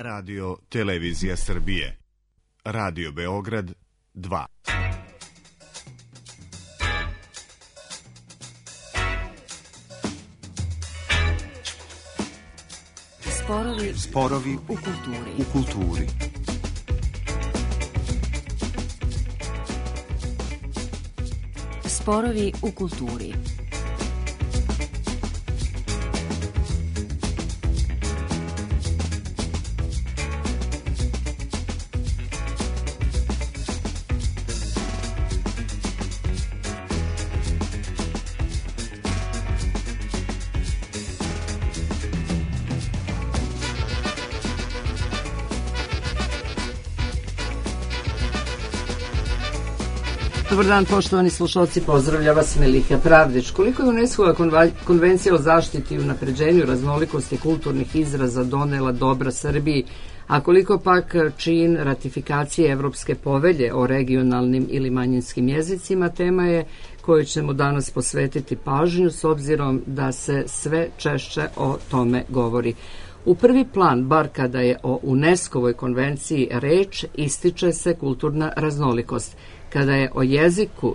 Radio Televizija Srbije. Radio Beograd 2. Sporovi u kulturi. Sporovi u kulturi. Dobar dan, poštovani slušalci, pozdravlja vas Melika Pravdić. Koliko je UNESCO-va konvencija o zaštiti i unapređenju raznolikosti kulturnih izraza donela dobra Srbiji, a koliko pak čin ratifikacije Evropske povelje o regionalnim ili manjinskim jezicima, tema je koju ćemo danas posvetiti pažnju s obzirom da se sve češće o tome govori. U prvi plan, bar kada je o UNESCO-voj konvenciji reč, ističe se kulturna raznolikost. Kada je o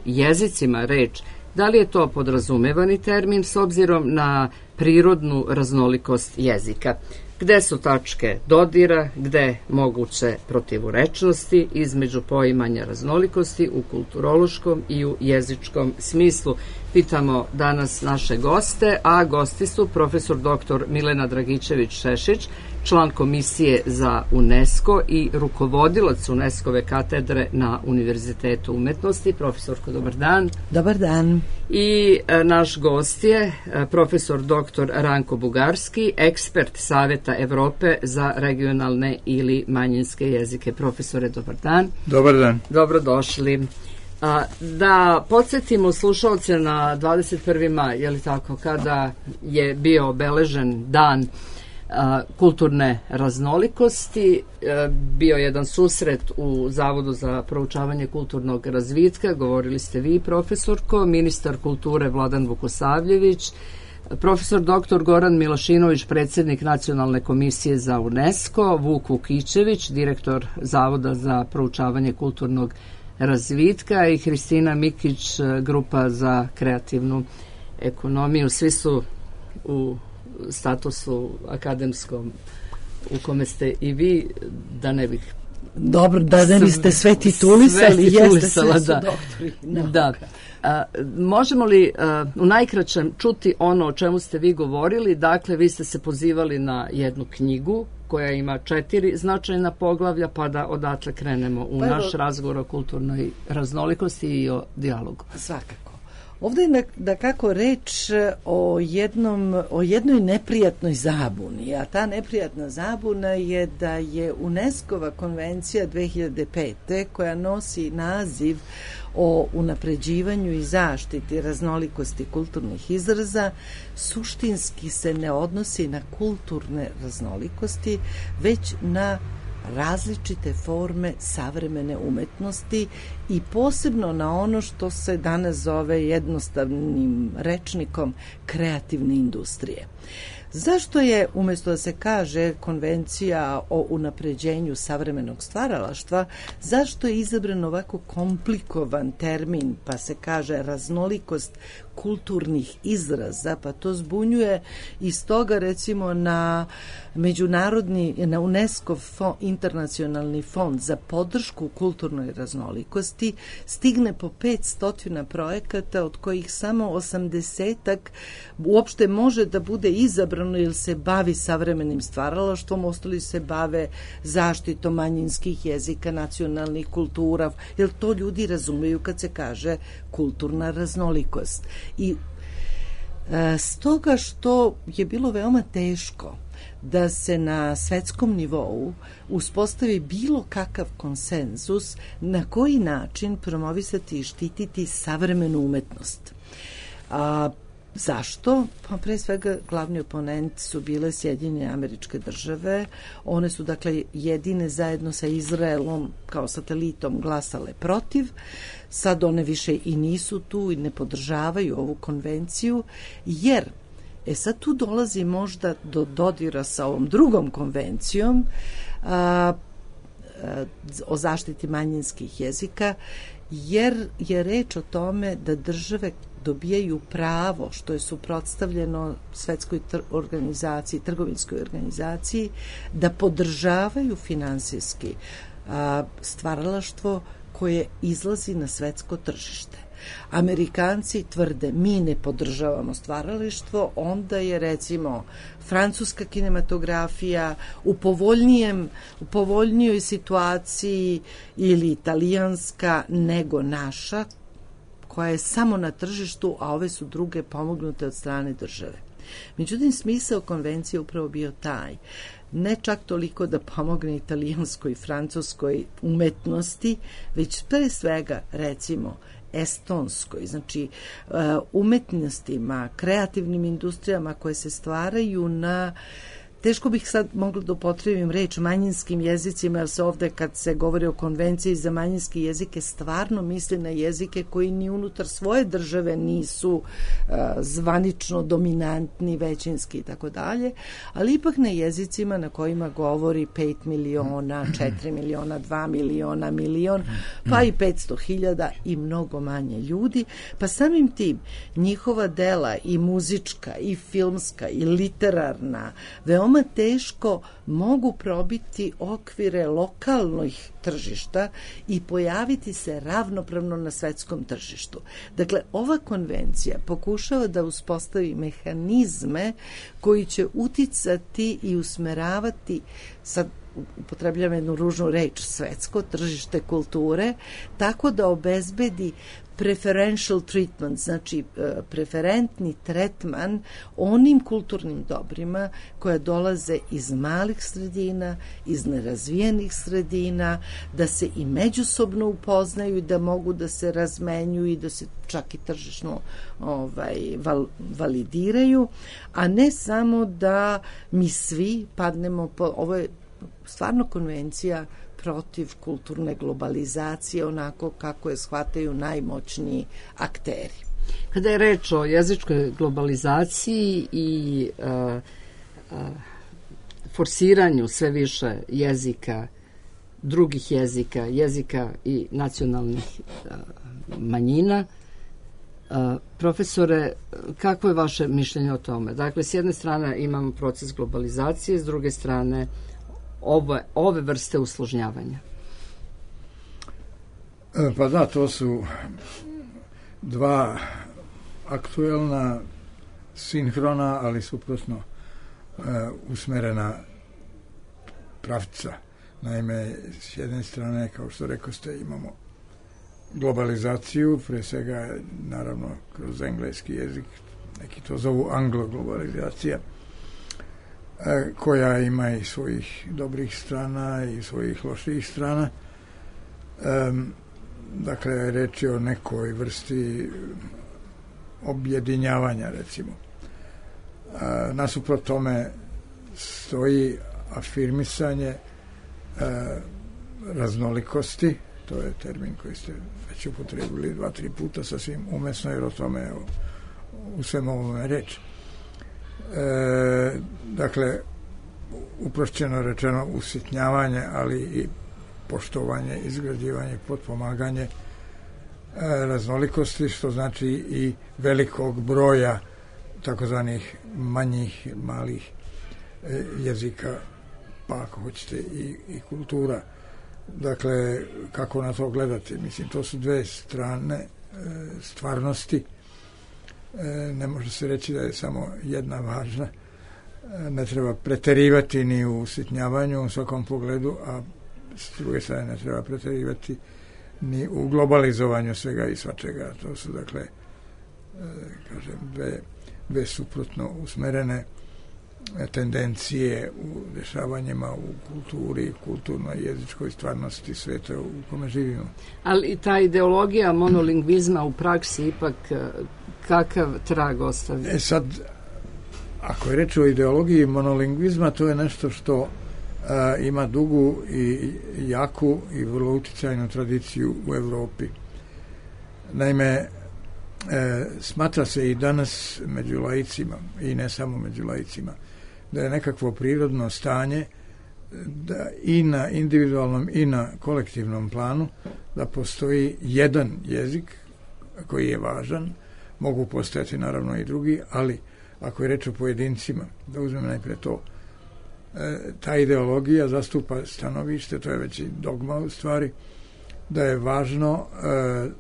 jezicima reč, da li je to podrazumevani termin s obzirom na prirodnu raznolikost jezika? Gde su tačke dodira, gde moguće protivurečnosti između poimanja raznolikosti u kulturološkom i u jezičkom smislu? Pitamo danas naše goste, a gosti su profesor dr. Milena Dragičević-Šešić, član Komisije za UNESCO i rukovodilac UNESCO-ve katedre na Univerzitetu umetnosti. Profesorko, dobar dan. Dobar dan. I naš gost je profesor dr. Ranko Bugarski, ekspert Saveta Evrope za regionalne ili manjinske jezike. Profesore, dobar dan. Dobar dan. Dobrodošli. Da podsjetimo slušalce na 21. maj, je li tako, kada je bio obeležen dan kulturne raznolikosti, bio jedan susret u Zavodu za proučavanje kulturnog razvitka, govorili ste vi, profesorko, ministar kulture Vladan Vukosavljević, profesor dr. Goran Milošinović, predsjednik Nacionalne komisije za UNESCO, Vuk Vukićević, direktor Zavoda za proučavanje kulturnog razvitka i Hristina Mikić, grupa za kreativnu ekonomiju. Svi su u statusu akademskom u kome ste i vi, da ne bih... Dobro, da ne biste sve titulisali, jeste, sve su da. doktori nauka. Da. Možemo li u najkraćem čuti ono o čemu ste vi govorili? Dakle, vi ste se pozivali na jednu knjigu koja ima 4 značajna poglavlja, pa da odatle krenemo u naš razgovor o kulturnoj raznolikosti i o dijalogu. Svakako. Ovdje je da kako reč o jednoj neprijatnoj zabuni, a ta neprijatna zabuna je da je UNESCO-va konvencija 2005. koja nosi naziv o unapređivanju i zaštiti raznolikosti kulturnih izraza suštinski se ne odnosi na kulturne raznolikosti, već na različite forme savremene umetnosti i posebno na ono što se danas zove jednostavnim rečnikom kreativne industrije. Zašto je, umjesto da se kaže konvencija o unapređenju savremenog stvaralaštva, zašto je izabran ovako komplikovan termin, pa se kaže raznolikost kulturnih izraza, pa to zbunjuje i stoga recimo na UNESCO internacionalni fond za podršku kulturnoj raznolikosti stigne po 500 projekata, od kojih samo 80-ak uopšte može da bude izabrano jer se bavi savremenim stvaralaštvom, ostali se bave zaštitom manjinskih jezika, nacionalnih kultura, jer to ljudi razumeju kad se kaže kulturna raznolikost. I stoga što je bilo veoma teško da se na svetskom nivou uspostavi bilo kakav konsenzus na koji način promovisati i štititi savremenu umetnost. Zašto? Pa pre svega glavni oponent su bile Sjedinjene Američke Države. One su dakle jedine zajedno sa Izraelom kao satelitom glasale protiv. Sad one više i nisu tu i ne podržavaju ovu konvenciju, jer Sad tu dolazi možda do dodira sa ovom drugom konvencijom o zaštiti manjinskih jezika, jer je reč o tome da države dobijaju pravo, što je suprotstavljeno Svetskoj organizaciji, trgovinskoj organizaciji, da podržavaju finansijski stvaralaštvo koje izlazi na svetsko tržište. Amerikanci tvrde mi ne podržavamo stvaralaštvo, onda je recimo francuska kinematografija u povoljnijoj situaciji ili italijanska nego naša, koja je samo na tržištu, a ove su druge pomognute od strane države. Međutim, smisao konvencije upravo bio taj, ne čak toliko da pomogne italijanskoj i francuskoj umetnosti, već pre svega, recimo, estonskoj, znači umetnostima, kreativnim industrijama koje se stvaraju na, teško bih sad mogla da upotrebim reč manjinskim jezicima, jer se ovde kad se govori o konvenciji za manjinske jezike stvarno misli na jezike koji ni unutar svoje države nisu zvanično dominantni, većinski i tako dalje, ali ipak na jezicima na kojima govori 5 miliona, 4 miliona, 2 miliona, milion, pa i 500.000 i mnogo manje ljudi, pa samim tim njihova dela i muzička i filmska i literarna veoma teško mogu probiti okvire lokalnih tržišta i pojaviti se ravnopravno na svetskom tržištu. Dakle, ova konvencija pokušava da uspostavi mehanizme koji će uticati i usmeravati, sad upotrebljam jednu ružnu reč, svetsko tržište kulture, tako da obezbedi preferential treatment, znači preferentni tretman onim kulturnim dobrima koja dolaze iz malih sredina, iz nerazvijenih sredina, da se i međusobno upoznaju i da mogu da se razmenjuju i da se čak i tržišno validiraju, a ne samo da mi svi padnemo ovo je stvarno konvencija protiv kulturne globalizacije, onako kako je shvataju najmoćniji akteri. Kada je reč o jezičkoj globalizaciji i forsiranju sve više jezika, drugih jezika, jezika i nacionalnih manjina, profesore, kako je vaše mišljenje o tome? Dakle, s jedne strane imamo proces globalizacije, s druge strane ove vrste usložnjavanja. Pa da, to su dva aktuelna, sinhrona, ali suprotno usmerena pravca. Naime, s jedne strane, kao što rekoste, imamo globalizaciju, pre svega, naravno, kroz engleski jezik, neki to zovu anglo-globalizacija, koja ima i svojih dobrih strana i svojih loših strana. Dakle, reč je o nekoj vrsti objedinjavanja, recimo. Nasuprot tome stoji afirmisanje raznolikosti, to je termin koji ste već upotrebili 2-3 puta, sasvim umesno, jer o tome u svem ovome reč. Dakle, uprošćeno rečeno usitnjavanje, ali i poštovanje, izgrađivanje, potpomaganje raznolikosti, što znači i velikog broja takozvanih manjih, malih jezika, pa ako hoćete i kultura. Dakle, kako na to gledati? Mislim, to su dve strane stvarnosti. Ne može se reći da je samo jedna važna. Ne treba preterivati ni u usitnjavanju u svakom pogledu, a s druge strane ne treba preterivati ni u globalizovanju svega i svačega. To su, dakle, kažem, dve suprotno usmerene tendencije u dešavanjima u kulturi, kulturnoj jezičkoj stvarnosti sveta u kome živimo. Ali ta ideologija monolingvizma u praksi ipak kakav trag ostavlja? Sad, ako je reč o ideologiji monolingvizma, to je nešto što ima dugu i jaku i vrlo uticajnu tradiciju u Evropi. Naime, smatra se i danas među laicima, i ne samo među laicima, da je nekakvo prirodno stanje da i na individualnom i na kolektivnom planu da postoji jedan jezik koji je važan, mogu postojati naravno i drugi, ali ako je reč o pojedincima, da uzmem najpre to, ta ideologija zastupa stanovište, to je već i dogma u stvari, da je važno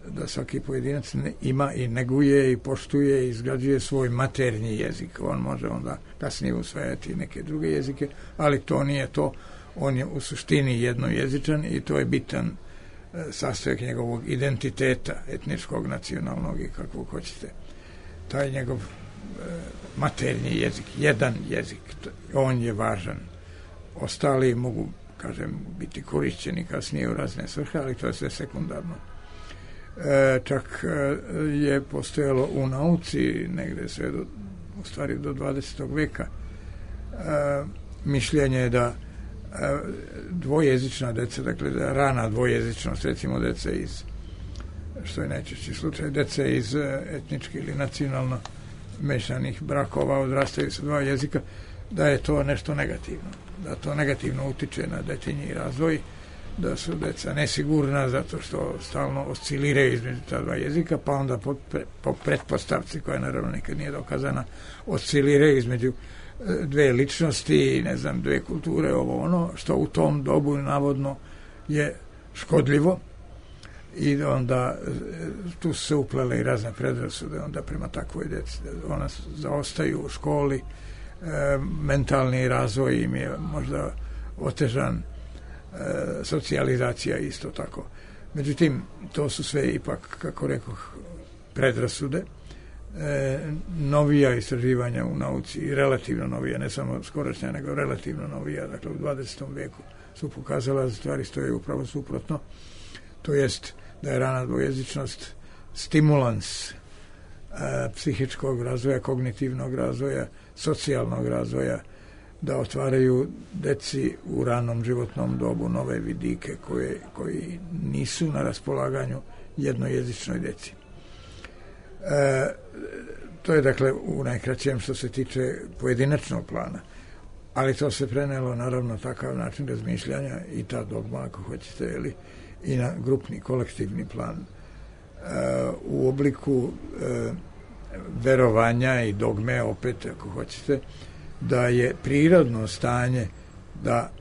da svaki pojedinac ima i neguje i poštuje i izgrađuje svoj maternji jezik. On može onda kasnije usvajati neke druge jezike, ali to nije to. On je u suštini jednojezičan i to je bitan sastojak njegovog identiteta, etničkog, nacionalnog i kakvog hoćete. Taj njegov maternji jezik, jedan jezik, on je važan. Ostali mogu, kažem, biti korišćeni kasnije u razne svrhe, ali to je sve sekundarno. Čak je postojalo u nauci negde sve u stvari do 20. veka mišljenje da dvojezična deca, dakle da rana dvojezičnost, recimo deca iz, što je najčešći slučaj, deca iz etnički ili nacionalno mešanih brakova odrastaju sa dva jezika, da je to nešto negativno, da to negativno utiče na detinji razvoj, da su deca nesigurna zato što stalno osciliraju između ta dva jezika, pa onda po pretpostavci, koja naravno nikad nije dokazana, osciliraju između dve ličnosti, ne znam, dve kulture, ovo ono, što u tom dobu navodno je škodljivo, i onda tu se uplele i razne predrasude onda prema takvoj deci. Ona zaostaju u školi, mentalni razvoj im je možda otežan, socijalizacija isto tako. Međutim, to su sve ipak, kako rekoh, predrasude. Novija istraživanja u nauci, relativno novija, ne samo skorašnja, nego relativno novija, dakle u 20. veku su pokazala da stvari stoje upravo suprotno. To jest da je rana dvojezičnost stimulans psihičkog razvoja, kognitivnog razvoja, socijalnog razvoja, da otvaraju deci u ranom životnom dobu nove vidike koji nisu na raspolaganju jednojezičnoj deci. To je dakle u najkraćem što se tiče pojedinačnog plana, ali to se prenelo naravno takav način razmišljanja i ta dogma, ako hoćete, ili i na grupni, kolektivni plan u obliku verovanja i dogme, opet ako hoćete, da je prirodno stanje da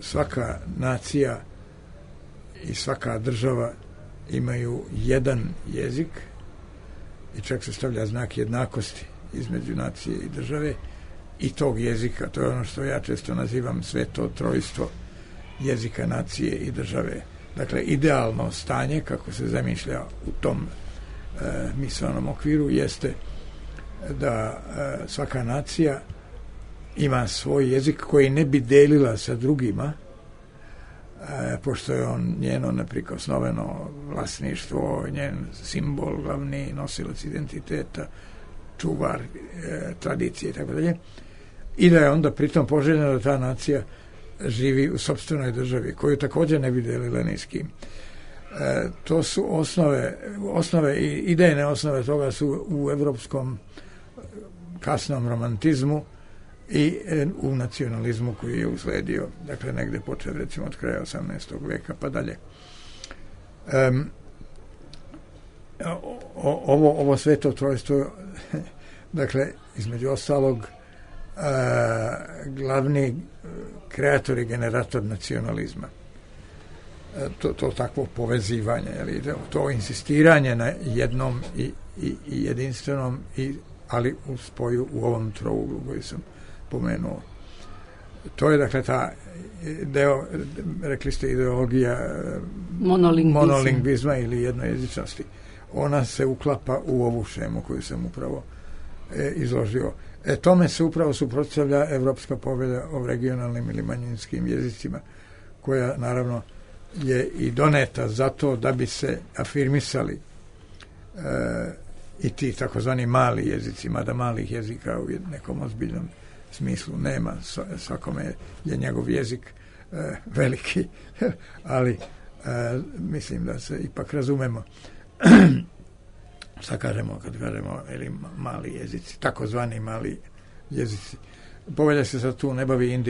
svaka nacija i svaka država imaju jedan jezik i čak se stavlja znak jednakosti između nacije i države i tog jezika. To je ono što ja često nazivam sveto trojstvo jezika, nacije i države. Dakle, idealno stanje, kako se zamišlja u tom misaonom okviru, jeste da svaka nacija ima svoj jezik koji ne bi delila sa drugima, pošto je on njeno neprikosnoveno vlasništvo, njen simbol, glavni nosilac identiteta, čuvar tradicije i tako dalje, i da je onda pritom poželjno da ta nacija živi u sopstvenoj državi, koju također ne bi delila ni s kim. To su osnove i idejne osnove toga su u evropskom kasnom romantizmu i u nacionalizmu koji je usledio, dakle negde počeo recimo od kraja 18. veka pa dalje. Ovo sveto trojstvo, dakle, između ostalog, glavni kreator i generator nacionalizma. To takvo povezivanje, to insistiranje na jednom i jedinstvenom, ali u spoju u ovom trouglu koji sam pomenuo. To je dakle ta deo, rekli ste, ideologija monolingvizma ili jednojezičnosti. Ona se uklapa u ovu šemu koju sam upravo izložio. Tome se upravo suprotstavlja Evropska povelja o regionalnim ili manjinskim jezicima, koja naravno je i doneta zato da bi se afirmisali i ti takozvani mali jezici, mada malih jezika u nekom ozbiljnom smislu nema, svakome je njegov jezik veliki, ali mislim da se ipak razumemo. šta kažemo kad kažemo mali jezici, takozvani mali jezici. Povelja se sad tu ne bavi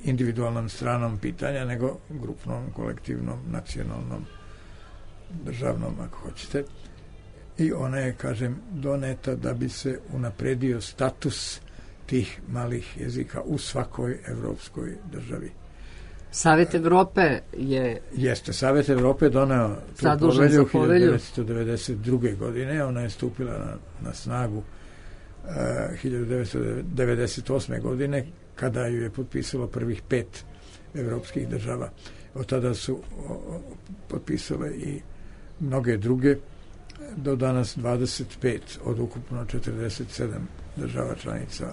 individualnom stranom pitanja, nego grupnom, kolektivnom, nacionalnom, državnom, ako hoćete. I ona je, kažem, doneta da bi se unapredio status tih malih jezika u svakoj evropskoj državi. Savet Evrope je... Jeste, Savet Evrope doneo tu povelju 1992. godine, ona je stupila na snagu 1998. godine, kada ju je potpisalo prvih 5 evropskih država. Od tada su potpisale i mnoge druge, do danas 25 od ukupno 47 država članica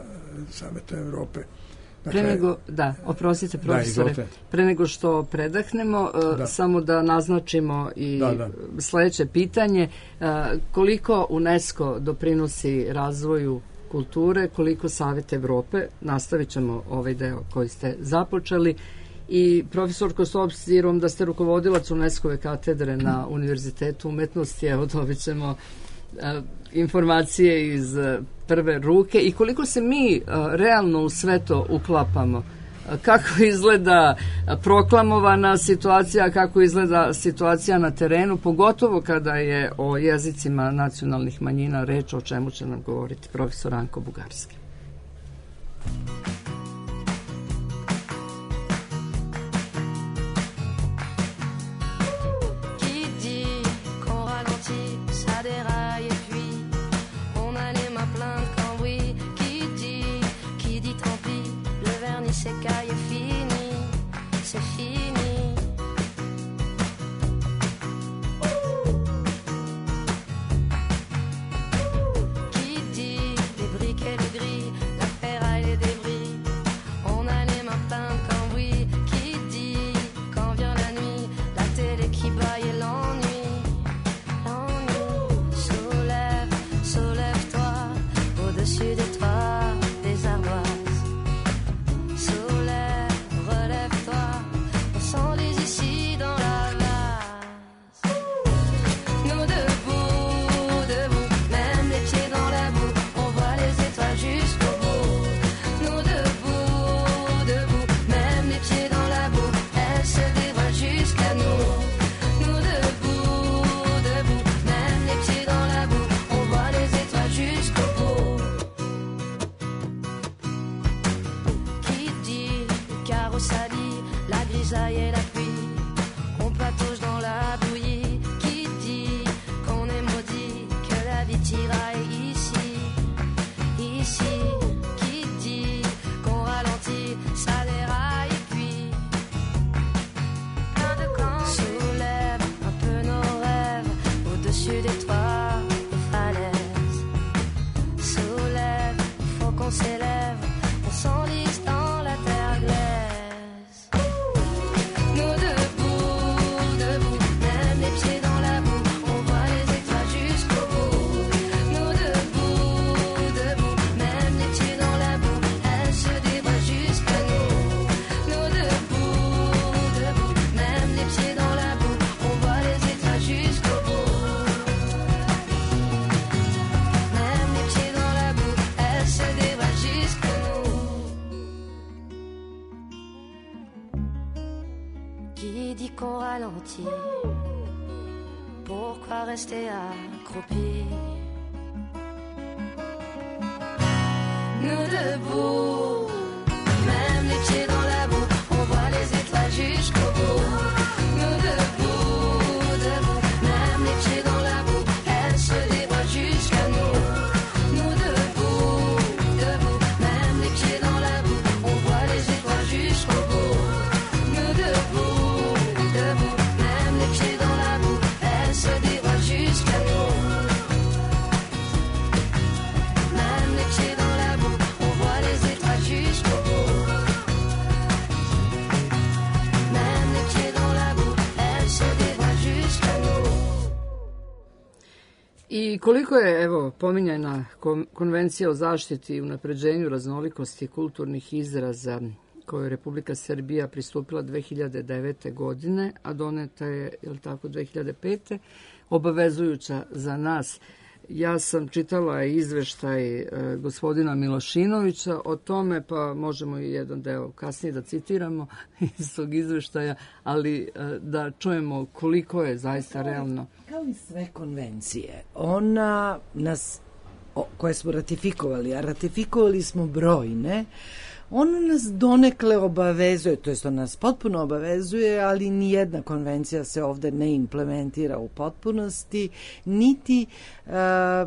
Saveta Evrope. Dakle, oprostite profesore, pre nego što predahnemo, samo da naznačimo i sledeće pitanje, koliko UNESCO doprinosi razvoju kulture, koliko Savet Evrope, nastavit ćemo ovaj deo koji ste započeli, i profesorko, s obzirom da ste rukovodilac UNESCO-ve katedre na Univerzitetu umetnosti, evo dobit ćemo informacije iz prve ruke i koliko se mi realno u sve to uklapamo. Kako izgleda proklamovana situacija, kako izgleda situacija na terenu, pogotovo kada je o jezicima nacionalnih manjina reč, o čemu će nam govoriti profesor Anko Bugarski. Pourquoi rester accroupi? Nous debout, même les pieds dans la boue, on voit les étoiles jusqu'au bout. Nous debout, debout, même les pieds dans la boue, elles se dévoilent jusqu'à nous. Nous debout, debout, même les pieds dans la boue, on voit les étoiles jusqu'au bout. Nous debout, debout, même les pieds dans la boue, elles se dévoilent jusqu'à nous. Même les pieds dans la boue, on voit les étoiles jusqu'au bout. Même les pieds dans la boue, elles se dévoilent jusqu'à nous. I koliko je, evo, pominjana Konvencija o zaštiti i unapređenju raznolikosti kulturnih izraza kojoj Republika Srbija pristupila 2009. godine, a doneta je, je li tako, 2005. obavezujuća za nas. Ja sam čitala izveštaj gospodina Milošinovića o tome, pa možemo i jedan deo kasnije da citiramo iz tog izveštaja, ali da čujemo koliko je zaista realno. Kao i sve konvencije, ona nas, koje smo ratifikovali, a ratifikovali smo brojne, ona nas donekle obavezuje, to jest ona nas potpuno obavezuje, ali nijedna konvencija se ovde ne implementira u potpunosti, niti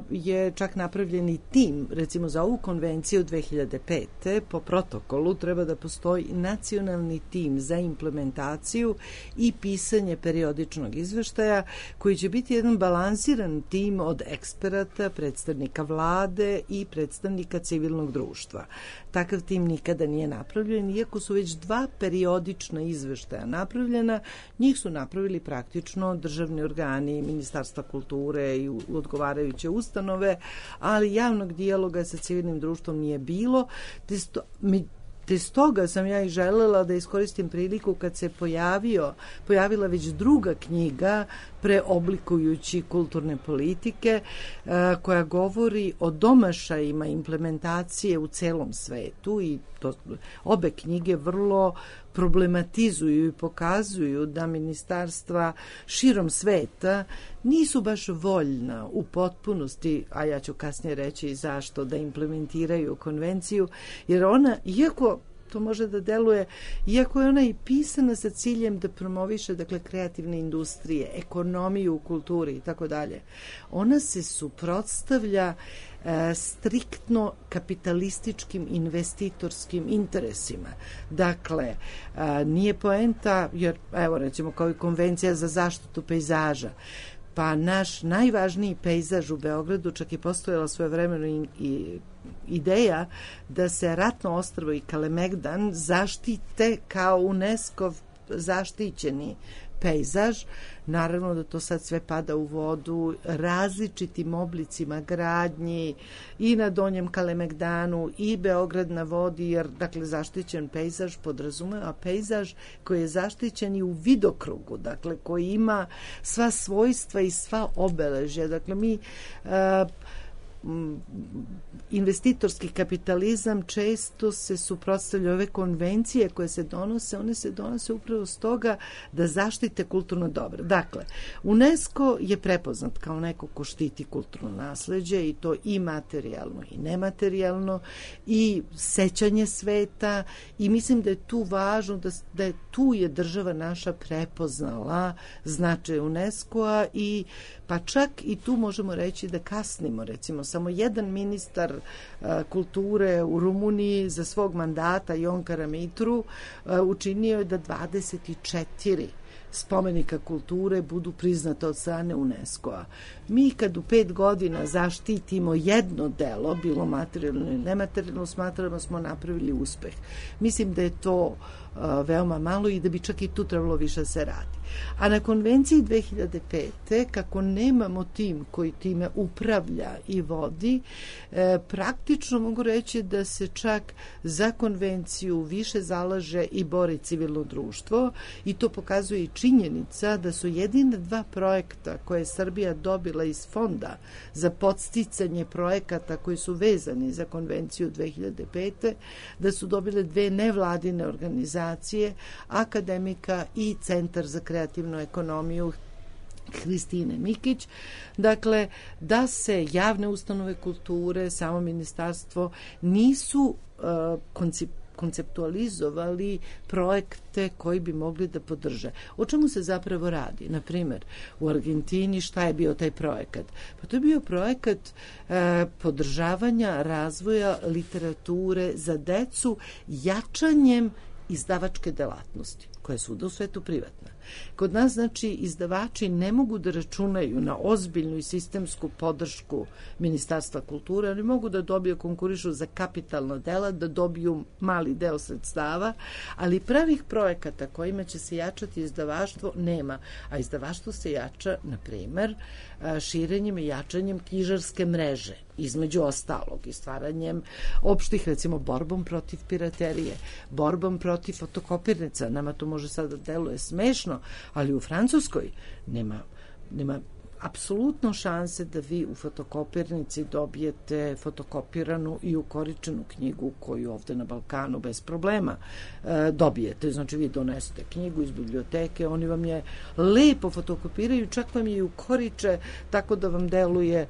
je čak napravljeni tim, recimo za ovu konvenciju 2005. po protokolu treba da postoji nacionalni tim za implementaciju i pisanje periodičnog izveštaja, koji će biti jedan balansiran tim od eksperata, predstavnika vlade i predstavnika civilnog društva. Takav tim nikada nije napravljen, iako su već 2 periodična izveštaja napravljena, njih su napravili praktično državni organi, Ministarstva kulture i odgovarajuće ustanove, ali javnog dijaloga sa civilnim društvom nije bilo, te stoga sam ja i želela da iskoristim priliku kad se pojavila već druga knjiga preoblikujući kulturne politike koja govori o domašajima implementacije u celom svetu i to obe knjige vrlo problematizuju i pokazuju da ministarstva širom sveta nisu baš voljna u potpunosti, a ja ću kasnije reći zašto, da implementiraju konvenciju, jer ona, iako to može da deluje, iako je ona i pisana sa ciljem da promoviše, dakle, kreativne industrije, ekonomiju u kulturi i tako dalje, ona se suprotstavlja striktno kapitalističkim investitorskim interesima. Dakle, nije poenta, jer evo recimo kao i konvencija za zaštitu pejzaža, pa naš najvažniji pejzaž u Beogradu, čak i postojala svojevremeno i ideja da se Ratno ostrvo i Kalemegdan zaštite kao UNESCO zaštićeni pejzaž. Naravno da to sad sve pada u vodu različitim oblicima gradnji i na Donjem Kalemegdanu i Beograd na vodi, jer dakle zaštićen pejzaž podrazumeva pejzaž koji je zaštićen i u vidokrugu, dakle koji ima sva svojstva i sva obeležja. Dakle mi investitorski kapitalizam često se suprotstavlja, ove konvencije koje se donose, one se donose upravo stoga da zaštite kulturno dobro. Dakle, UNESCO je prepoznat kao neko ko štiti kulturno nasleđe i to i materijalno i nematerijalno i sećanje sveta i mislim da je tu važno da je tu je država naša prepoznala značaj UNESCO-a i pa čak i tu možemo reći da kasnimo, recimo samo jedan ministar kulture u Rumuniji za svog mandata, Ion Karamitru, učinio je da 24 spomenika kulture budu priznata od strane UNESCO-a. Mi kad u 5 godina zaštitimo jedno delo, bilo materijalno ili nematerijalno, smatramo da smo napravili uspeh. Mislim da je to veoma malo i da bi čak i tu trebalo više se radi. A na konvenciji 2005. kako nemamo tim koji time upravlja i vodi, praktično mogu reći da se čak za konvenciju više zalaže i bori civilno društvo i to pokazuje i činjenica da su jedine 2 projekta koje je Srbija dobila iz fonda za podsticanje projekata koji su vezani za konvenciju 2005. da su dobile 2 nevladine organizacije, Akademika i Centar za kreativnu ekonomiju Hristine Mikić. Dakle, da se javne ustanove kulture, samo ministarstvo nisu konceptualizovali projekte koji bi mogli da podrže. O čemu se zapravo radi? Na primjer, u Argentini šta je bio taj projekat? Pa to je bio projekat podržavanja razvoja literature za decu jačanjem izdavačke delatnosti. koja je svuda u svetu privatna. Kod nas, znači, izdavači ne mogu da računaju na ozbiljnu i sistemsku podršku Ministarstva kulture, oni mogu da dobiju, konkurišu za kapitalna dela, da dobiju mali deo sredstava, ali pravih projekata kojima će se jačati izdavaštvo nema. A izdavaštvo se jača, na primer, širenjem i jačanjem knjižarske mreže, između ostalog, i stvaranjem opštih, recimo, borbom protiv piraterije, borbom protiv fotokopirnica. Nama to može sada da deluje smešno, ali u Francuskoj nema apsolutno šanse da vi u fotokopirnici dobijete fotokopiranu i ukoričenu knjigu koju ovde na Balkanu bez problema dobijete. Znači, vi donesete knjigu iz biblioteke, oni vam je lepo fotokopiraju, čak vam je i ukoriče tako da vam deluje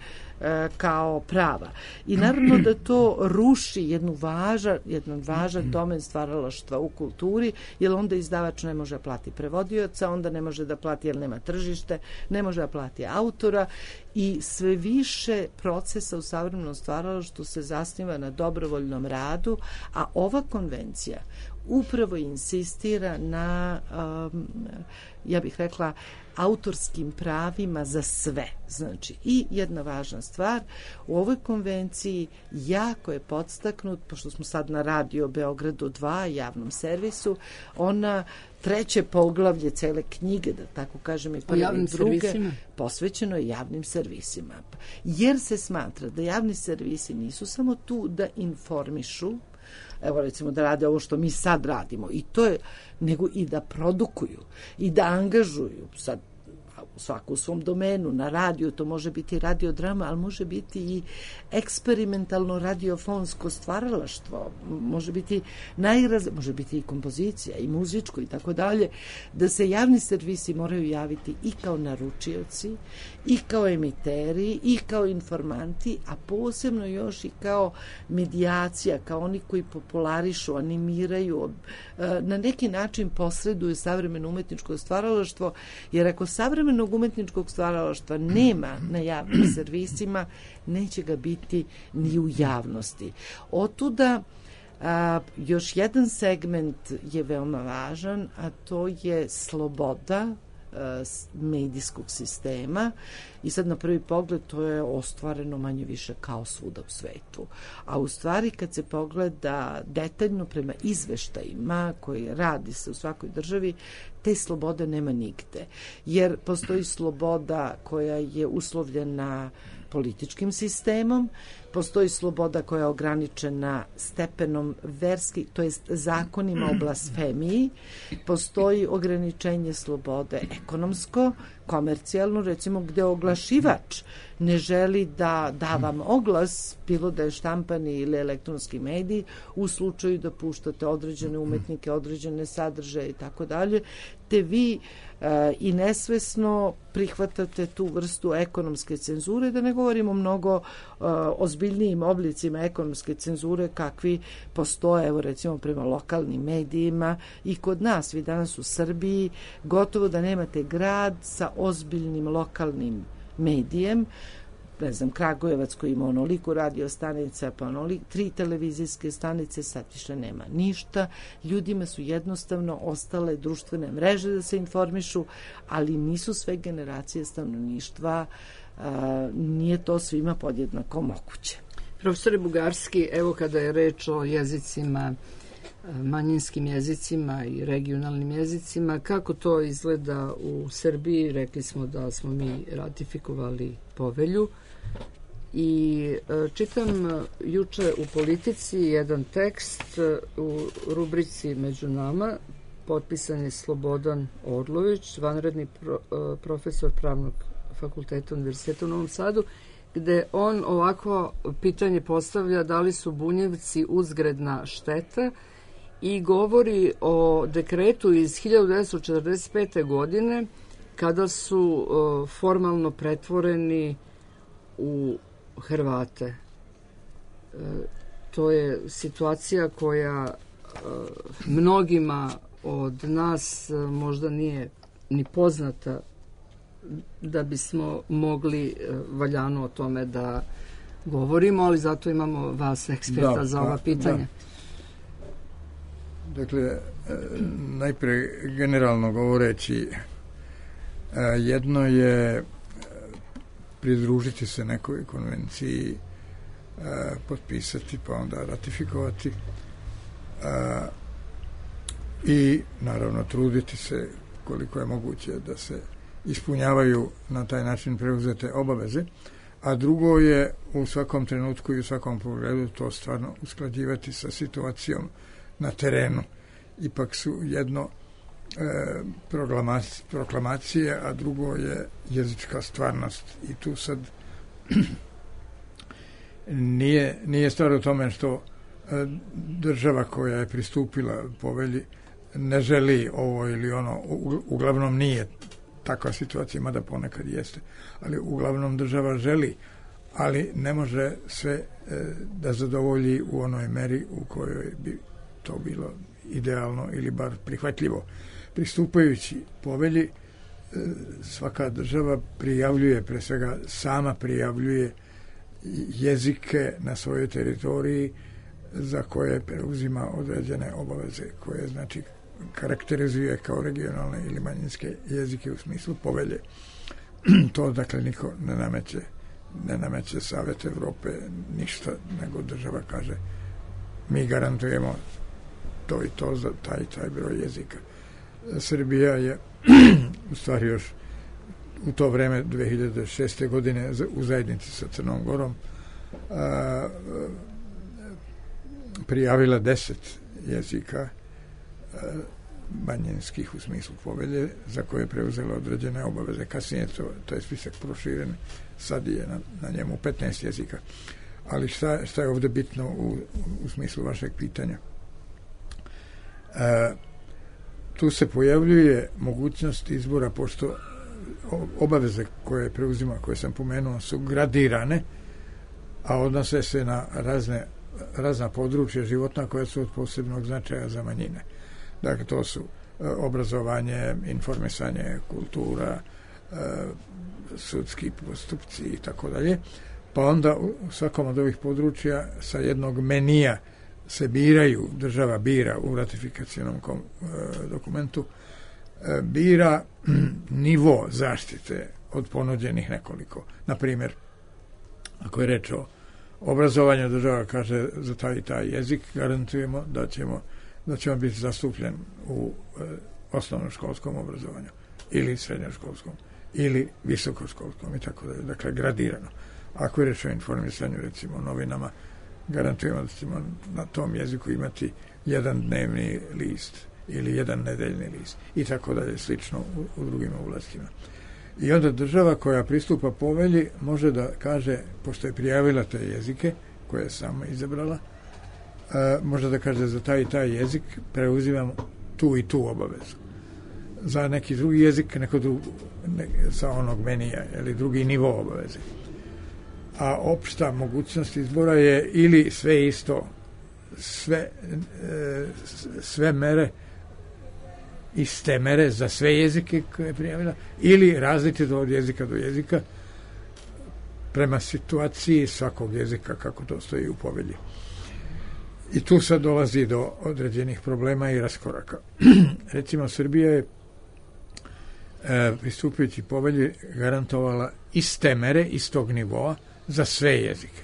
kao prava. I naravno da to ruši jedan važan domen stvaralaštva u kulturi, jer onda izdavač ne može da plati prevodioca, onda ne može da plati jer nema tržište, ne može da plati autora i sve više procesa u savremenom stvaralaštvu se zasniva na dobrovoljnom radu, a ova konvencija upravo insistira na, ja bih rekla, autorskim pravima za sve. Znači, i jedna važna stvar, u ovoj konvenciji jako je podstaknut, pošto smo sad na Radio Beogradu 2, javnom servisu, ona treće poglavlje cele knjige, da tako kažem, i prve i druge, posvećeno je javnim servisima. Jer se smatra da javni servisi nisu samo tu da informišu, evo recimo da rade ovo što mi sad radimo, i to je, nego i da produkuju i da angažuju sad svaku u svom domenu. Na radiju to može biti radiodrama, ali može biti i eksperimentalno radiofonsko stvaralaštvo, može biti može biti i kompozicija i muzičko i tako dalje, da se javni servisi moraju javiti i kao naručioci, i kao emiteri, i kao informanti, a posebno još i kao medijacija, kao oni koji popularišu, animiraju, na neki način posreduju savremeno umetničko stvaralaštvo, jer ako savremenog umetničkog stvaralaštva nema na javnim servisima, neće ga biti ni u javnosti. Otuda još jedan segment je veoma važan, a to je sloboda medijskog sistema, i sad na prvi pogled to je ostvareno manje više kao svuda u svetu. A u stvari kad se pogleda detaljno prema izveštajima koji radi se u svakoj državi, te slobode nema nigde. Jer postoji sloboda koja je uslovljena političkim sistemom, postoji sloboda koja je ograničena stepenom verski, to jest zakonima o blasfemiji, postoji ograničenje slobode ekonomsko, komercijalno, recimo gde oglašivač ne želi da vam oglas, bilo da je štampani ili elektronski medij, u slučaju da puštate određene umetnike, određene sadržaje i tako dalje, te vi i nesvesno prihvatate tu vrstu ekonomske cenzure, da ne govorimo mnogo ozbiljnijim oblicima ekonomske cenzure kakvi postoje, evo recimo prema lokalnim medijima i kod nas. Vi danas u Srbiji gotovo da nemate grad sa ozbiljnim lokalnim medijem, ne znam, Kragujevac koji ima onoliko radio stanica, pa 3 televizijske stanice, sad više nema ništa. Ljudima su jednostavno ostale društvene mreže da se informišu, ali nisu sve generacije stanovništva, nije to svima podjednako moguće. Profesore Bugarski, evo kada je reč o jezicima, manjinskim jezicima i regionalnim jezicima, kako to izgleda u Srbiji? Rekli smo da smo mi ratifikovali povelju i čitam juče u Politici jedan tekst u rubrici Među nama, potpisan je Slobodan Orlović, vanredni profesor Pravnog fakulteta Univerziteta u Novom Sadu, gde on ovako pitanje postavlja da li su Bunjevci uzgredna šteta i govori o dekretu iz 1945. godine kada su formalno pretvoreni u Hrvate. To je situacija koja mnogima od nas možda nije ni poznata da bismo mogli valjano o tome da govorimo, ali zato imamo vas eksperta za ova pitanja. Dakle, najpre generalno govoreći, jedno je pridružiti se nekoj konvenciji, potpisati pa onda ratifikovati i naravno truditi se koliko je moguće da se ispunjavaju na taj način preuzete obaveze, a drugo je u svakom trenutku i u svakom pogledu to stvarno usklađivati sa situacijom na terenu. Ipak su jedno proklamacije, a drugo je jezička stvarnost. I tu sad nije stvar u tome što država koja je pristupila povelji ne želi ovo ili ono, uglavnom nije takva situacija, mada ponekad jeste, ali uglavnom država želi, ali ne može sve da zadovolji u onoj meri u kojoj bi to bilo idealno ili bar prihvatljivo. Pristupajući povelji, svaka država prijavljuje, pre svega sama prijavljuje jezike na svojoj teritoriji za koje preuzima određene obaveze, koje znači karakterizuje kao regionalne ili manjinske jezike u smislu povelje. To dakle niko ne nameće Savet Evrope ništa, nego država kaže mi garantujemo to i to za taj i taj broj jezika. Srbija je u stvari još u to vreme 2006. godine u zajednici sa Crnom Gorom prijavila 10 jezika manjinskih u smislu povelje za koje je preuzela određene obaveze. Kasnije to je spisak proširen, sad je na njemu 15 jezika. Ali šta je ovdje bitno u smislu vašeg pitanja? Tu se pojavljuje mogućnost izbora, pošto obaveze koje preuzima, koje sam pomenuo, su gradirane, a odnose se na razna područja životna koja su od posebnog značaja za manjine. Dakle, to su obrazovanje, informisanje, kultura, sudski postupci i tako dalje. Pa onda u svakom od ovih područja sa jednog menija se biraju, država bira u ratifikacionom dokumentu, bira nivo zaštite od ponuđenih nekoliko. Na primjer, ako je reč o obrazovanju, država kaže za taj i taj jezik garantujemo da ćemo biti zastupljen u osnovnoškolskom obrazovanju ili srednjoškolskom ili visokoškolskom i tako dalje. Dakle, gradirano. Ako je reč o informisanju, recimo novinama, garantujemo da ćemo na tom jeziku imati jedan dnevni list ili jedan nedeljni list i tako dalje, slično u drugim oblastima. I onda država koja pristupa povelji može da kaže, pošto je prijavila te jezike koje je sama izabrala, može da kaže za taj i taj jezik preuzimam tu i tu obavezu. Za neki drugi jezik sa onog menija ili drugi nivo obaveze. A opšta mogućnost izbora je ili sve isto, sve mere, iste mere za sve jezike koje je prijavila, ili različito od jezika do jezika prema situaciji svakog jezika kako to stoji u povelji. I tu sad dolazi do određenih problema i raskoraka. Recimo, Srbija je pristupujući povelji garantovala iste mere, istog nivoa za sve jezike.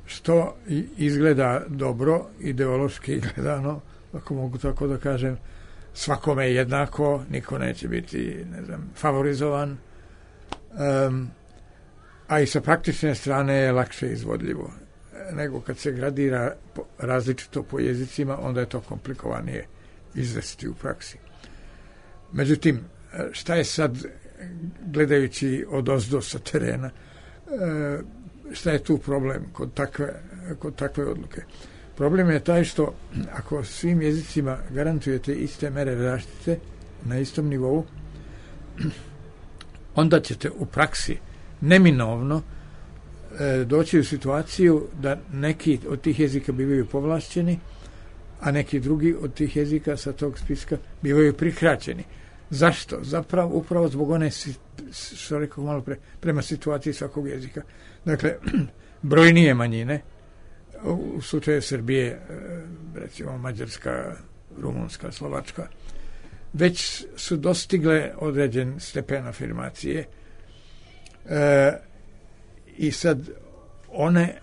Što izgleda dobro, ideološki gledano, ako mogu tako da kažem, svakome je jednako, niko neće biti, favorizovan, a i sa praktične strane je lakše izvodljivo. Nego kad se gradira različito po jezicima, onda je to komplikovanije izvesti u praksi. Međutim, šta je sad, gledajući odozdo sa terena, šta je tu problem kod takve odluke? Problem je taj što ako svim jezicima garantujete iste mere zaštite na istom nivou, onda ćete u praksi neminovno doći u situaciju da neki od tih jezika bivaju povlašćeni, a neki drugi od tih jezika sa tog spiska bivaju prikraćeni. Zašto? Upravo zbog one, što rekao malo prema situaciji svakog jezika. Dakle, brojnije manjine, u slučaju Srbije, recimo Mađarska, Rumunska, Slovačka, već su dostigle određen stepen afirmacije i sad one,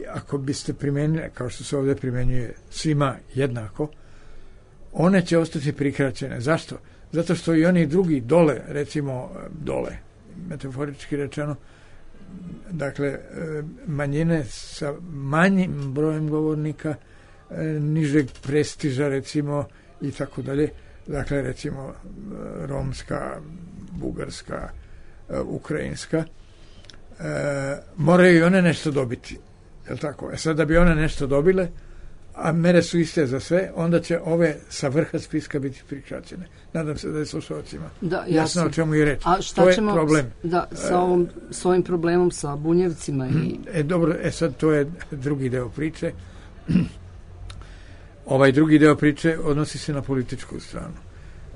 ako biste primijenili, kao što se ovdje primjenjuje svima jednako, one će ostati prikraćene. Zašto? Zato što i oni drugi dole, recimo dole, metaforički rečeno, dakle, manjine sa manjim brojem govornika, nižeg prestiža, recimo, i tako dalje, dakle, recimo, romska, bugarska, ukrajinska, moraju i one nešto dobiti. Jel tako? Sad da bi one nešto dobile, a mere su iste za sve, onda će ove sa vrha spiska biti prikraćene. Nadam se da je slušalcima jasno o čemu je reč. A šta to je ćemo problem. S ovim problemom sa Bunjevcima? Dobro, sad to je drugi deo priče. Ovaj drugi deo priče odnosi se na političku stranu.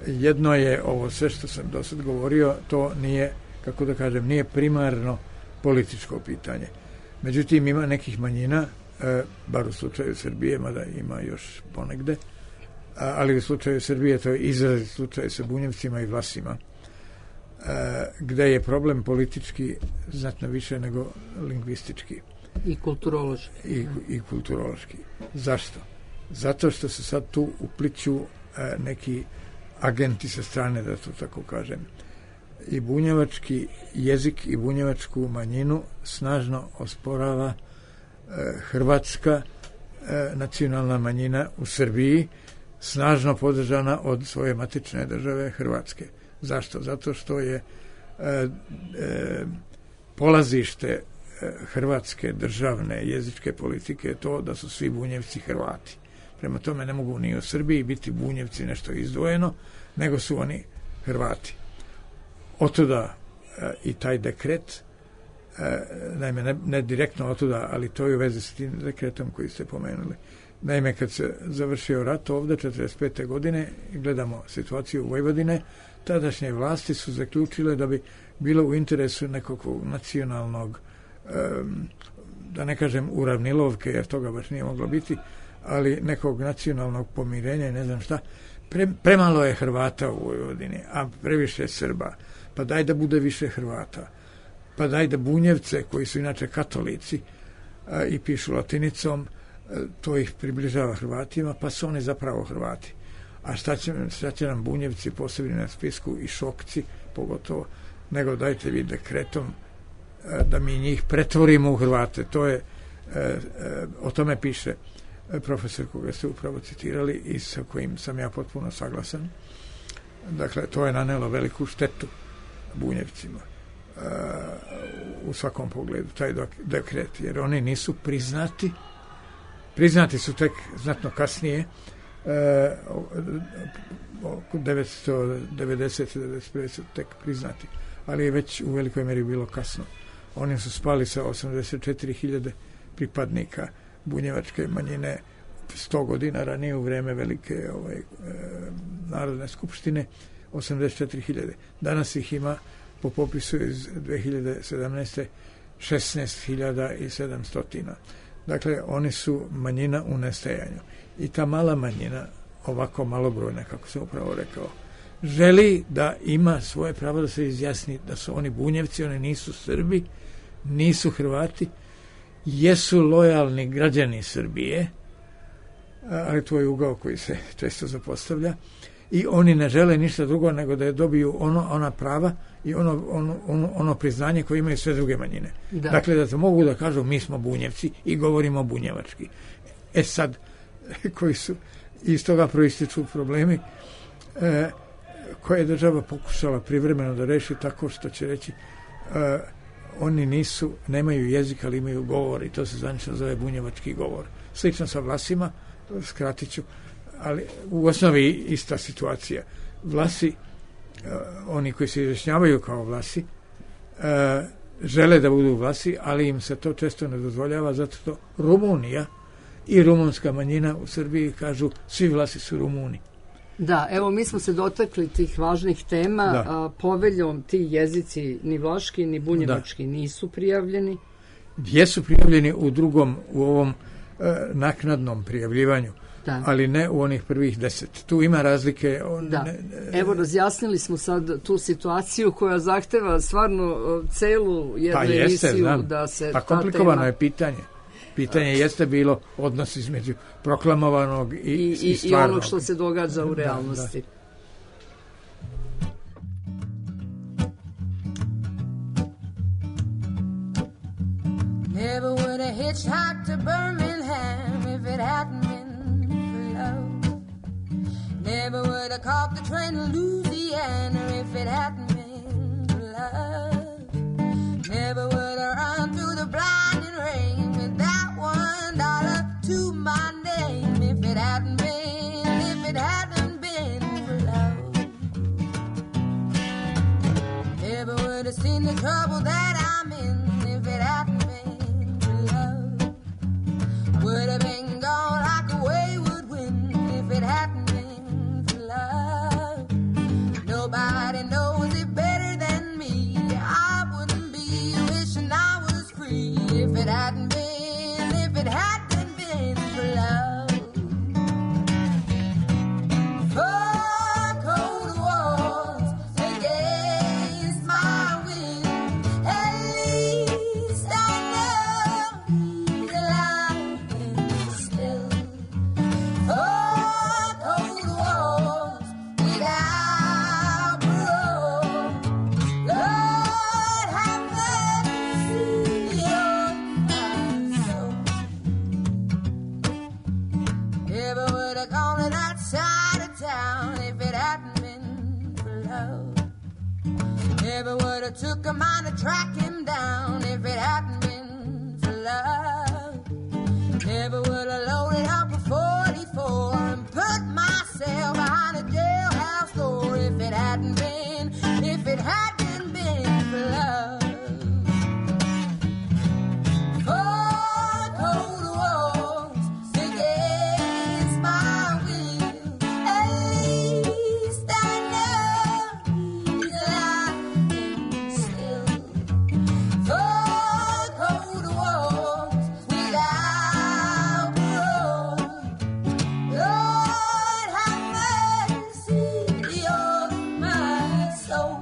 Jedno je ovo sve što sam do sad govorio, to nije, kako da kažem, nije primarno političko pitanje. Međutim, ima nekih manjina, bar u slučaju Srbije, mada ima još ponegde, ali u slučaju Srbije to je izrazit slučaj sa Bunjevcima i Vlasima, gde je problem politički znatno više nego lingvistički. I kulturološki. I kulturološki. Zašto? Zato što se sad tu upliću neki agenti sa strane, da to tako kažem. I bunjevački jezik i bunjevačku manjinu snažno osporava hrvatska nacionalna manjina u Srbiji, snažno podržana od svoje matične države Hrvatske. Zašto? Zato što je polazište hrvatske državne jezičke politike to da su svi Bunjevci Hrvati. Prema tome ne mogu ni u Srbiji biti Bunjevci nešto izdvojeno, nego su oni Hrvati. Otuda i taj dekret, naime ne direktno otuda, ali to je u vezi s tim dekretom koji ste pomenuli. Naime, kad se završio rat ovdje 1945. godine, gledamo situaciju u Vojvodine, tadašnje vlasti su zaključile da bi bilo u interesu nekog nacionalnog, da ne kažem uravnilovke, jer toga baš nije moglo biti, ali nekog nacionalnog pomirenja i ne znam šta. Premalo je Hrvata u Vojvodini, a previše Srba. Pa daj da bude više Hrvata. Pa daj da Bunjevce, koji su inače katolici i pišu latinicom, to ih približava Hrvatima, pa su oni zapravo Hrvati. A šta će nam Bunjevci posebni na spisku i Šokci, pogotovo, nego dajte vi dekretom da mi njih pretvorimo u Hrvate. To je, o tome piše profesor koga ste upravo citirali i sa kojim sam ja potpuno saglasan. Dakle, to je nanelo veliku štetu Bunjevcima u svakom pogledu, taj dekret, jer oni nisu priznati su tek znatno kasnije, 1990-1991 su tek priznati, ali je već u velikoj meri bilo kasno. Oni su spali sa 84.000 pripadnika bunjevačke manjine 100 godina ranije u vreme velike Narodne skupštine, 84.000. Danas ih ima po popisu iz 2017. 16.700. Dakle, oni su manjina u nestajanju. I ta mala manjina, ovako malobrojna, kako sam upravo rekao, želi da ima svoje pravo da se izjasni da su oni Bunjevci, oni nisu Srbi, nisu Hrvati, jesu lojalni građani Srbije, ali to je ugao koji se često zapostavlja, i oni ne žele ništa drugo nego da dobiju ona prava i ono priznanje koje imaju sve druge manjine. Da. Dakle, da se mogu da kažu mi smo Bunjevci i govorimo bunjevački. Sad, koji su iz toga proističu problemi koje je država pokušala privremeno da reši tako što će reći oni nemaju jezik, ali imaju govor, i to se zvanično zove bunjevački govor. Slično sa Vlasima, skratit ću, ali u osnovi ista situacija. Vlasi, oni koji se izjašnjavaju kao Vlasi, žele da budu Vlasi, ali im se to često ne dozvoljava, zato što Rumunija i rumunska manjina u Srbiji kažu svi Vlasi su Rumuni. Da, evo mi smo se dotakli tih važnih tema, poveljom ti jezici ni vlaški ni bunjevački nisu prijavljeni. Jesu prijavljeni u ovom naknadnom prijavljivanju. Da. ali ne u onih prvih 10. Tu ima razlike. Da. Evo, razjasnili smo sad tu situaciju koja zahteva stvarno celu jednu emisiju da se pa komplikovano je pitanje. Pitanje jeste bilo odnos između proklamovanog i stvarnog. I onog što se događa u realnosti. Never would have hitchhiked to Birmingham if it hadn't been for love. Never would have caught the train to Louisiana if it hadn't been for love. Never would have run through the blinding rain with that $1 to my name if it hadn't been for love. Never would have seen the trouble that I'm in if it hadn't been for love. Would have been gone like a wayward wind if it hadn't been for love. Nobody knows it better than me. I wouldn't be wishing I was free if it hadn't been for love. For cold walls against my will, at least I know he's alive and still. For cold walls without parole, Lord have mercy on my soul. Never would have gone to that side of town if it hadn't been for love. Never would have took a mind to track him down if it hadn't been for love. Never would have loaded up a 44 and put myself behind a jailhouse door if it hadn't been for love. For cold walls against my will, at least I know he's alive and still. For cold walls without parole, Lord have mercy on my soul.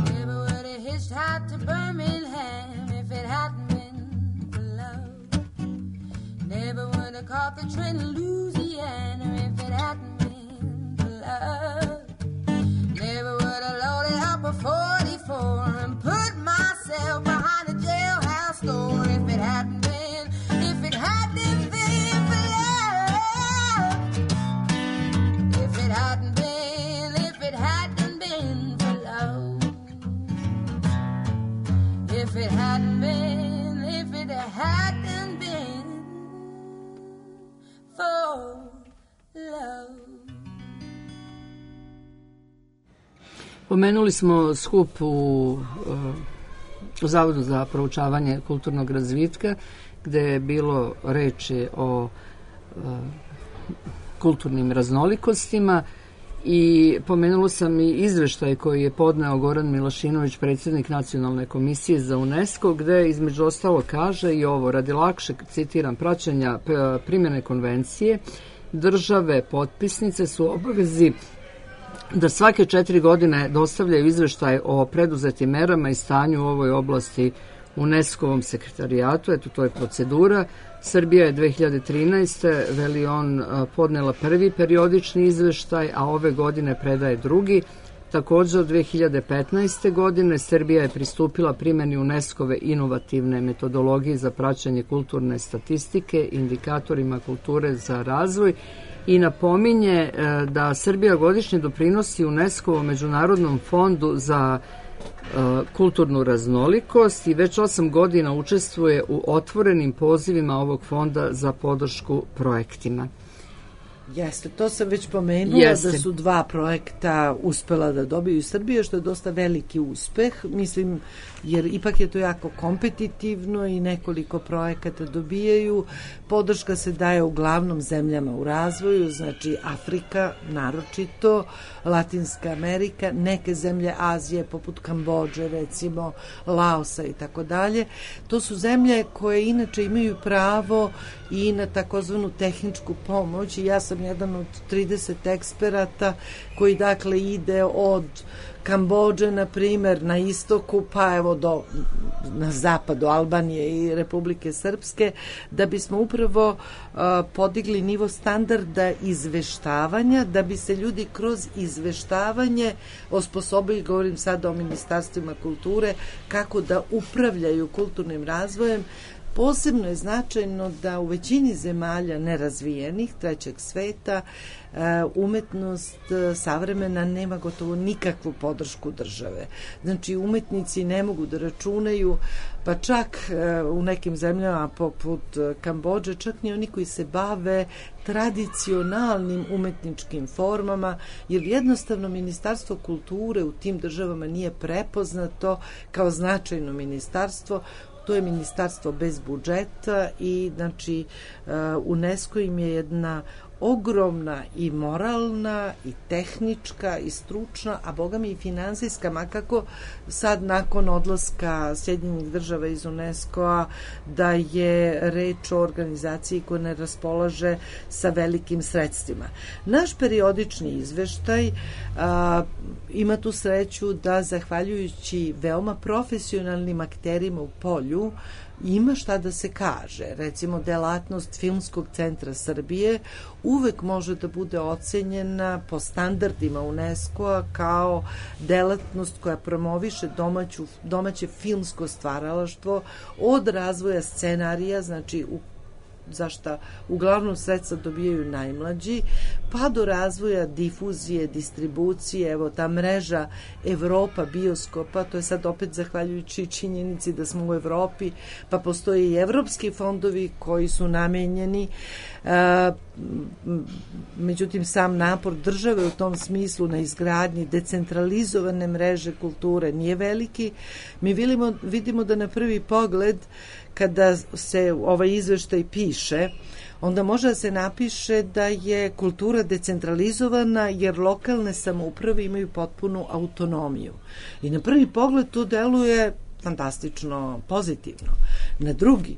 Never would have hitchhiked to Birmingham if it hadn't been for love. Never would have caught the train to Louisiana if it hadn't been for love. Never would have loaded up a 44 and put myself behind a jailhouse door if it hadn't been for love. If it hadn't been for love. If it hadn't been for love. Pomenuli smo skup u Zavodu za proučavanje kulturnog razvitka, gde je bilo reči o kulturnim raznolikostima i pomenulo sam i izveštaj koji je podneo Goran Milošinović, predsjednik Nacionalne komisije za UNESCO, gde između ostalo kaže i ovo: radi lakšeg, citiram, praćenja primjene konvencije, države potpisnice su u obavezi da svake 4 godine dostavljaju izveštaj o preduzetim merama i stanju u ovoj oblasti UNESCO-ovom sekretarijatu. Eto, to je procedura. Srbija je 2013. veli on podnela prvi periodični izveštaj, a ove godine predaje drugi. Također od 2015. godine Srbija je pristupila primjeni UNESCO-ve inovativne metodologije za praćenje kulturne statistike, indikatorima kulture za razvoj i napominje da Srbija godišnje doprinosi UNESCO-ovom međunarodnom fondu za kulturnu raznolikost i već 8 godina učestvuje u otvorenim pozivima ovog fonda za podršku projektima. Jeste, to sam već pomenula. Jeste. Da su 2 projekta uspela da dobiju iz Srbije, što je dosta veliki uspeh, mislim, jer ipak je to jako kompetitivno i nekoliko projekata dobijaju. Podrška se daje uglavnom zemljama u razvoju, znači Afrika naročito, Latinska Amerika, neke zemlje Azije poput Kambodže, recimo Laosa i tako dalje. To su zemlje koje inače imaju pravo i na takozvanu tehničku pomoć i ja sam jedan od 30 eksperata koji dakle ide od Kambodže, na primer, na istoku, pa evo na zapadu Albanije i Republike Srpske, da bismo upravo podigli nivo standarda izveštavanja, da bi se ljudi kroz izveštavanje osposobili, govorim sada o ministarstvima kulture, kako da upravljaju kulturnim razvojem. Posebno je značajno da u većini zemalja nerazvijenih, trećeg sveta, umetnost savremena nema gotovo nikakvu podršku države. Znači, umetnici ne mogu da računaju, pa čak u nekim zemljama poput Kambodže, čak ni oni koji se bave tradicionalnim umetničkim formama, jer jednostavno Ministarstvo kulture u tim državama nije prepoznato kao značajno ministarstvo. To je ministarstvo bez budžeta i znači UNESCO im je jedna ogromna i moralna i tehnička i stručna, a boga mi i finansijska, makako sad nakon odlaska Sjedinjenih država iz UNESCO-a da je reč o organizaciji koja ne raspolaže sa velikim sredstvima. Naš periodični izveštaj ima tu sreću da zahvaljujući veoma profesionalnim akterima u polju ima šta da se kaže. Recimo, delatnost Filmskog centra Srbije uvek može da bude ocenjena po standardima UNESCO-a kao delatnost koja promoviše domaće filmsko stvaralaštvo od razvoja scenarija, znači zašta uglavnom sredstva dobijaju najmlađi, pa do razvoja difuzije, distribucije, evo ta mreža Evropa bioskopa, to je sad opet zahvaljujući činjenici da smo u Evropi, pa postoje i evropski fondovi koji su namenjeni, međutim sam napor države u tom smislu na izgradnji decentralizovane mreže kulture nije veliki. Mi vidimo da na prvi pogled kada se ovaj izveštaj piše, onda može da se napiše da je kultura decentralizovana jer lokalne samouprave imaju potpunu autonomiju. I na prvi pogled to deluje fantastično pozitivno. Na drugi,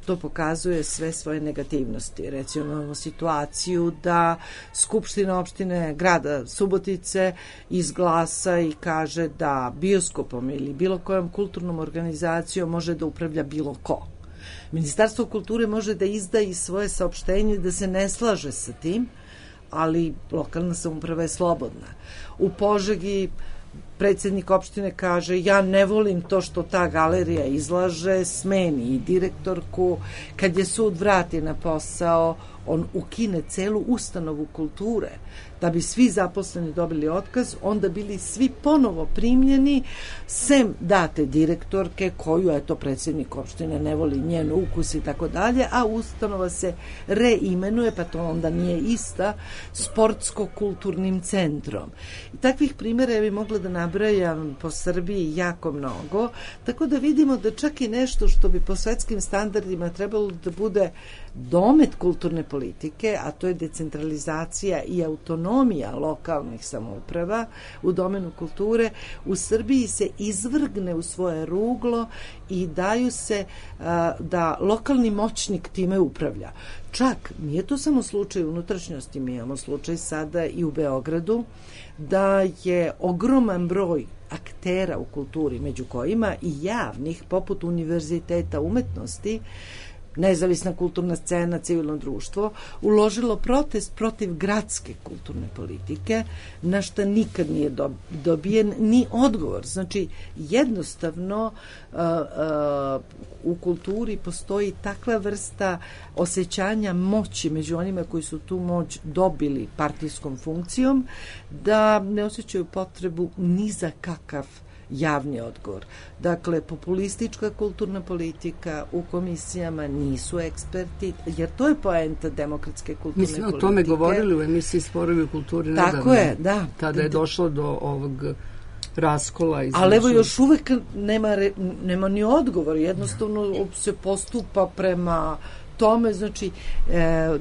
to pokazuje sve svoje negativnosti. Recimo, imamo situaciju da Skupština opštine grada Subotice izglasa i kaže da bioskopom ili bilo kojom kulturnom organizacijom može da upravlja bilo ko. Ministarstvo kulture može da izda i svoje saopštenje da se ne slaže sa tim, ali lokalna samouprava je slobodna. U Požegi predsjednik opštine kaže ja ne volim to što ta galerija izlaže, smeni i direktorku. Kad je sud vrati na posao, on ukine celu ustanovu kulture da bi svi zaposleni dobili otkaz, onda bili svi ponovo primljeni, sem date direktorke koju, eto, predsjednik opštine ne voli njen ukus i tako dalje, a ustanova se reimenuje, pa to onda nije ista, sportsko-kulturnim centrom. I takvih primjera ja bi mogla da nabrajam po Srbiji jako mnogo, tako da vidimo da čak i nešto što bi po svetskim standardima trebalo da bude domet kulturne politike, a to je decentralizacija i autonomija lokalnih samouprava u domenu kulture, u Srbiji se izvrgne u svoje ruglo i daju se da lokalni moćnik time upravlja. Čak nije to samo slučaj unutrašnjosti, mi imamo slučaj sada i u Beogradu, da je ogroman broj aktera u kulturi, među kojima i javnih, poput Univerziteta umetnosti, nezavisna kulturna scena, civilno društvo, uložilo protest protiv gradske kulturne politike, na šta nikad nije dobijen ni odgovor. Znači, jednostavno u kulturi postoji takva vrsta osjećanja moći među onima koji su tu moć dobili partijskom funkcijom, da ne osjećaju potrebu ni za kakav javni odgovor. Dakle, populistička kulturna politika u komisijama nisu eksperti, jer to je poenta demokratske kulturne Mi smo politike. o tome govorili u emisiji Sporovi u kulturi nedavno. Tako je, da. Kada je došlo do ovog raskola. Ali evo još uvek nema ni odgovor, jednostavno se postupa prema tome, znači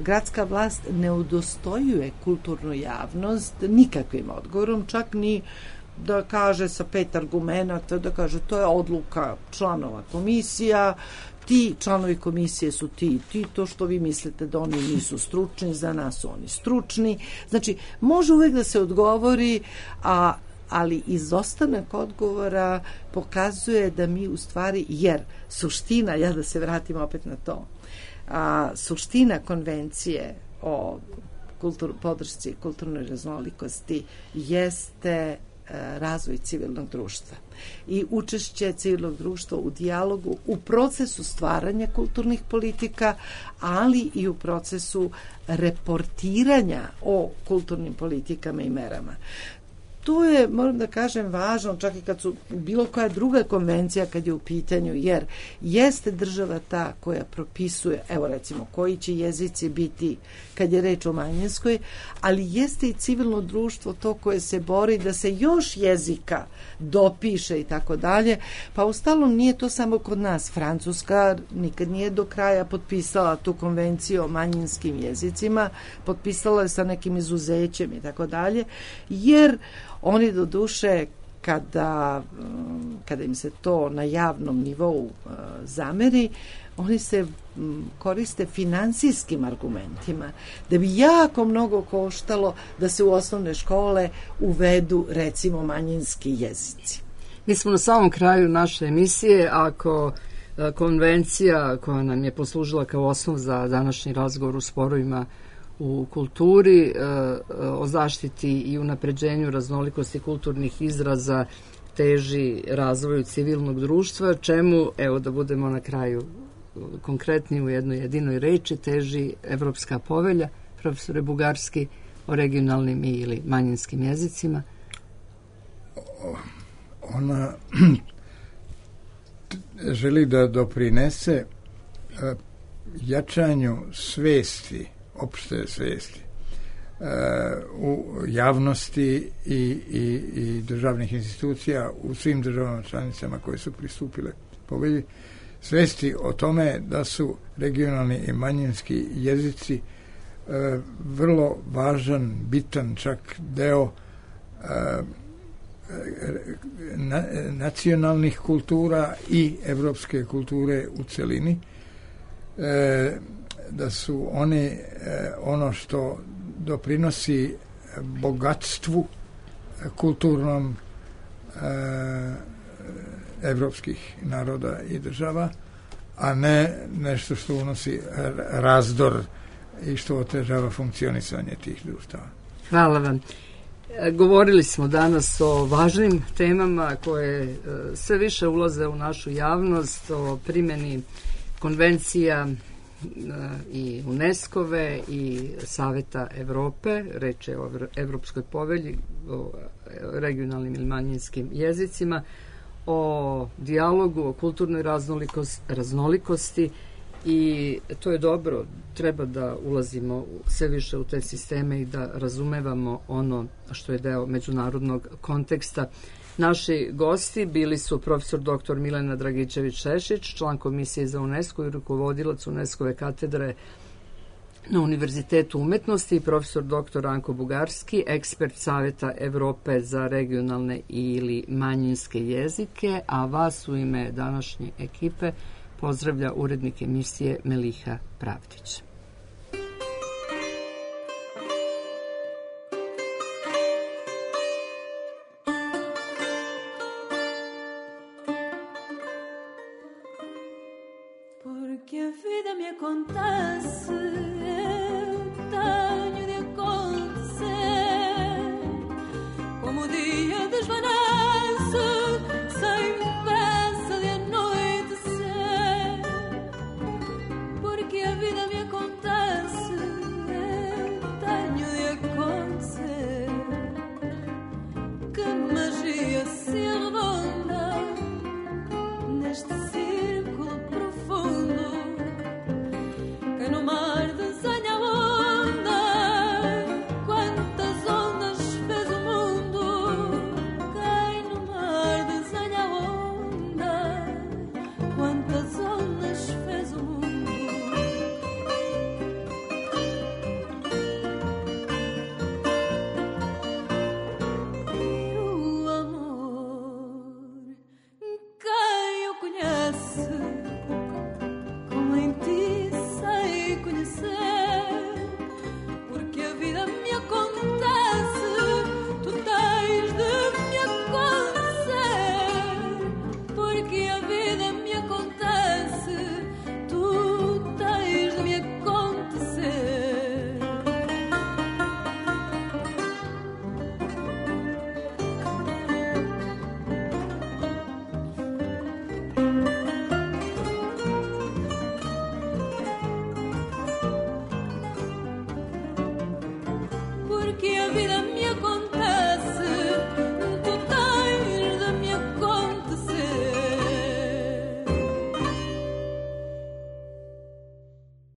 gradska vlast ne udostojuje kulturnu javnost nikakvim odgovorom, čak ni da kaže sa 5 argumenata, da kaže to je odluka članova komisija, ti članovi komisije su ti i ti, to što vi mislite da oni nisu stručni, za nas su oni stručni. Znači, može uvek da se odgovori, ali izostanak odgovora pokazuje da mi u stvari, jer suština, ja da se vratim opet na to, suština konvencije o podršci kulturnoj raznolikosti jeste razvoj civilnog društva i učešće civilnog društva u dijalogu u procesu stvaranja kulturnih politika, ali i u procesu reportiranja o kulturnim politikama i merama. To je, moram da kažem, važno, čak i kad su bilo koja druga konvencija kad je u pitanju, jer jeste država ta koja propisuje, evo recimo, koji će jezici biti kad je reč o manjinskoj, ali jeste i civilno društvo to koje se bori da se još jezika dopiše i tako dalje, pa ustalom nije to samo kod nas. Francuska nikad nije do kraja potpisala tu konvenciju o manjinskim jezicima, potpisala je sa nekim izuzećem i tako dalje, jer oni do duše kada im se to na javnom nivou zameri, oni se koriste finansijskim argumentima, da bi jako mnogo koštalo da se u osnovne škole uvedu recimo manjinski jezici. Mi smo na samom kraju naše emisije. Ako konvencija koja nam je poslužila kao osnov za današnji razgovor u sporovima u kulturi, o zaštiti i unapređenju raznolikosti kulturnih izraza teži razvoju civilnog društva, čemu, evo da budemo na kraju konkretni u jednoj jedinoj reči, teži Evropska povelja, profesore Bugarski, o regionalnim ili manjinskim jezicima? Ona želi da doprinese jačanju svesti, opšte svesti u javnosti i državnih institucija u svim državama članicama koje su pristupile povelji, svesti o tome da su regionalni i manjinski jezici vrlo važan, bitan čak deo nacionalnih kultura i evropske kulture u celini, da su oni ono što doprinosi bogatstvu kulturnom evropskih naroda i država, a ne nešto što unosi razdor i što otežava funkcionisanje tih društava. Hvala vam. Govorili smo danas o važnim temama koje sve više ulaze u našu javnost, o primjeni konvencija i UNESCO-ve i Saveta Evrope, reč je o Evropskoj povelji, o regionalnim ili manjinskim jezicima, o dijalogu, o kulturnoj raznolikosti, i to je dobro. Treba da ulazimo sve više u te sisteme i da razumevamo ono što je deo međunarodnog konteksta. Naši gosti bili su profesor dr. Milena Dragičević-Šešić, član Komisije za UNESCO i rukovodilac UNESCO-ve katedre na Univerzitetu umetnosti, i profesor dr. Anko Bugarski, ekspert Saveta Evrope za regionalne ili manjinske jezike, a vas u ime današnje ekipe pozdravlja urednik emisije Meliha Pravdić. Porque a vida me acontece, eu tenho de acontecer, como o dia desvanece, sem pressa de anoitecer. Porque a vida me acontece, eu tenho de acontecer, que magia se arredonda meno male.